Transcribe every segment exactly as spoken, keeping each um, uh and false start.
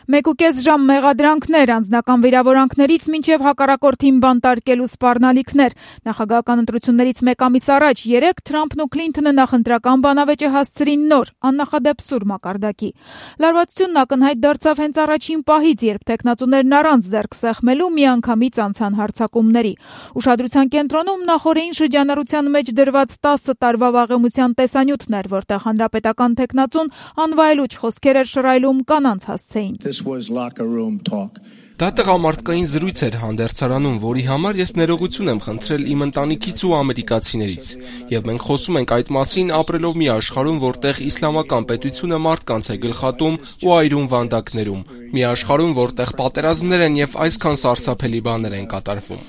Մեկուկես ժամ մեղադրանքներ, անձնական վիրավորանքներից մինչև հակառակորդին բանտարկելու սպառնալիքներ։ Նախագահական ընտրություններից մեկ ամիս առաջ երեկ Թրամփն ու Քլինթոնը նախընտրական բանավեճը հասցրին նոր, աննախադեպ սուր մակարդակի։ Լարվածությունն ակնհայտ դարձավ հենց առաջին պահից, երբ տեխնացուներն առանց ձեռք սեղմելու միանգամից անցան հարձակումների։ Ուշադրության կենտրոնում նախօրեին շրջանառության մեջ դրված տասը տարվա վաղեմության տեսանյութն էր, որտեղ հանրապետական տեխնացուն անվայելուչ խոսքեր էր շռայլում կանանց հասցեին։ Դա տղամարդկային զրույց էր հանդերձարանում, որի համար ես ներողություն եմ խնդրել իմ ընտանիքից ու ամերիկացիներից։ Եվ մենք խոսում ենք այդ մասին ապրելով մի աշխարհում, որտեղ իսլամական պետությունը մարդկանց է գլխատում ու այրում վանդակներում։ Մի աշխարհում, որտեղ պատերազմներ են եւ այսքան սարսափելի բաներ են կատարվում։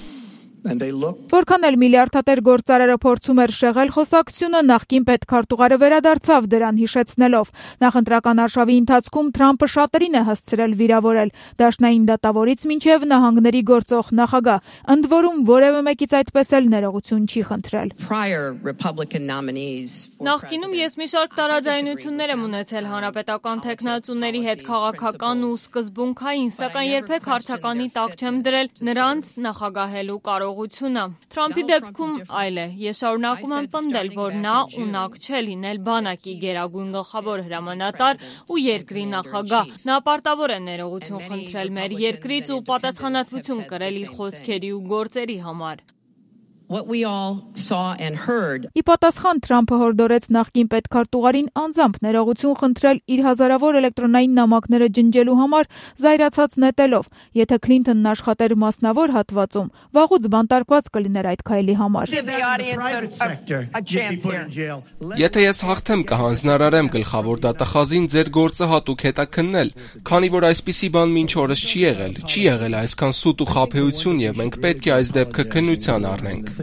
Որքան էլ միլիարդատեր գործարարը փորձում էր շեղել խոսակցությունը, նախկին պետքարտուղարը վերադարձավ դրան հիշեցնելով. նախընտրական արշավի ընթացքում Թրամփը շատերին է հասցրել վիրավորել, դաշնային դատավորից մինչև նահանգների գործող նախագահ, ընդ որում որևէ մեկից այդպես էլ ներողություն չի խնդրել։ Նախկինում ես մի շարք տարաձայնություններ եմ ունեցել հանրապետական տեխնացուների հետ քաղաքական ու սկզբունքային, սակայն երբեք հարցականի տակ չեմ դրել նրանց նախագահելու կարող Թրամփի դեպքում այլ է, ես շարունակում եմ պնդել, որ նա ունակ չէ լինել բանակի գերագույն գլխավոր հրամանատար ու երկրի նախագահ, նա պարտավոր է ներողություն խնդրել մեր երկրից ու պատասխանատվություն կրել իր խոսքերի ու գործերի համար։ Ի պատասխան Թրամփը հորդորեց նախկին պետքարտուղարին անձամբ ներողություն խնդրել իր հազարավոր էլեկտրոնային նամակները ջնջելու համար, զայրացած նետելով. եթե Քլինթոնն աշխատեր մասնավոր հատվածում, վաղուց բանտարկված կլիներ այդ քայլի համար։ Եթե ես հաղթեմ, կհանձնարարեմ գլխավոր դատախազին ձեր գործը հատուկ հետաքննել, քանի որ այսպիսի բան մինչ օրս չի եղել, չի եղել այսքան սուտ ու խաբեություն եւ մենք պետք է այս դեպքը քննության առնենք։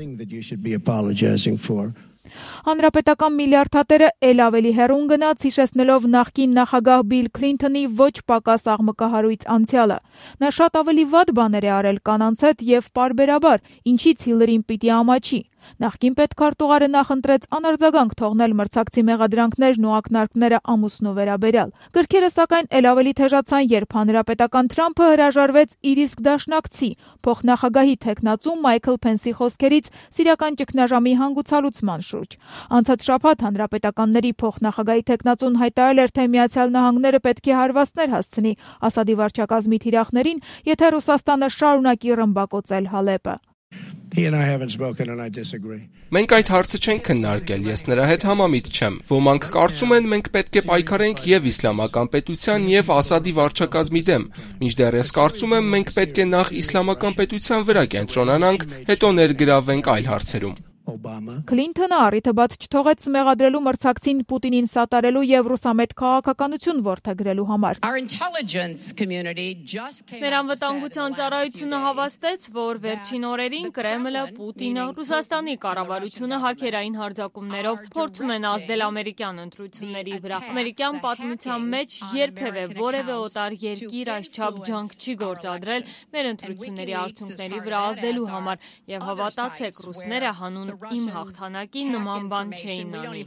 Հանրապետական միլիարդատերը էլ ավելի հեռուն գնաց, հիշեցնելով նախկին նախագահ Բիլ Քլինթոնի ոչ պակաս աղմկահարույց անցյալը։ Նա շատ ավելի վատ բաներ է արել կանանց հետ եւ պարբերաբար, ինչից Հիլարին պիտի ամաչի։ Նախկին պետքարտուղարը նախընտրեց անարձագանք թողնել մրցակցի մեղադրանքներն ու ակնարկները ամուսնու վերաբերյալ։ Գրքերը սակայն էլ ավելի թեժացան, երբ հանրապետական Թրամփը հրաժարվեց իր իսկ դաշնակցի, փոխնախագահի տեխնացու Մայքլ Փենսի խոսքերից սիրիական ճգնաժամի հանգուցալուծման շուրջ։ Անցած շաբաթ հանրապետականների փոխնախագահի տեխնացուն հայտարարել էր, թե Միացյալ Նահանգները պետք է հարվածներ հասցնի Ասադի վարչակազմի թիրախներին, եթե Ռուսաստանը շարունակի ռմբակոծել Հալեպը։ Մենք այդ հարցը չենք քննարկել, ես նրա հետ համամիտ չեմ։ Ոմանք կարծում են, մենք պետք է պայքարենք եւ իսլամական պետության եւ Ասադի վարչակազմի դեմ, մինչդեռ ես կարծում եմ, մենք պետք է նախ իսլամական պետության վրա կենտրոնանանք, հետո ներգրավվենք այլ հարցերում։ Քլինթոնը առիթը բաց չթողեց մեղադրելու մրցակցին Պուտինին սատարելու եւ ռուսամետ քաղաքականություն որդեգրելու համար։ Մեր անվտանգության ծառայությունը հավաստեց, որ վերջին օրերին Կրեմլը, Պուտինը, Ռուսաստանի կառավարությունը հաքերային հարձակումներով փորձում են ազդել ամերիկյան ընտրությունների վրա։ Ամերիկյան պատմության մեջ երբևէ որևէ օտար երկիր այսչափ ջանք չի գործադրել մեր ընտրությունների արդյունքների վրա ազդելու համար եւ հավատացեք, ռուսները հանուն իմ հաղթանակի նման բան չէին անի։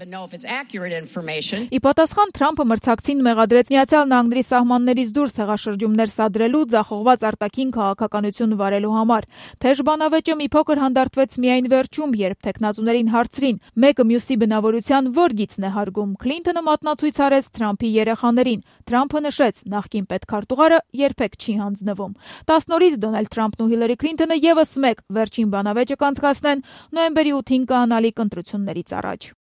Ի պատասխան Թրամփը մրցակցին մեղադրեց Միացյալ Նահանգների սահմաններից դուրս հեղաշրջումներ սադրելու, ձախողված արտաքին քաղաքականություն վարելու համար։ Թեժ բանավեճը մի փոքր հանդարտվեց միայն վերջում, երբ տեխնացուներին հարցրին. մեկը մյուսի բնավորության ո՞ր գիծն է հարգում։ Քլինթոնը մատնացույց արեց Թրամփի երեխաներին։ Թրամփը նշեց, նախկին պետքարտուղարը երբեք չի հանձնվում։ տասն օրից Դոնալդ Թրամփն ու Հիլարի Քլինթոնը եւս մեկ վերջին բանավեճը կանցկացնեն նոյեմբերի ութին կանալիք ընտրություններից առաջ։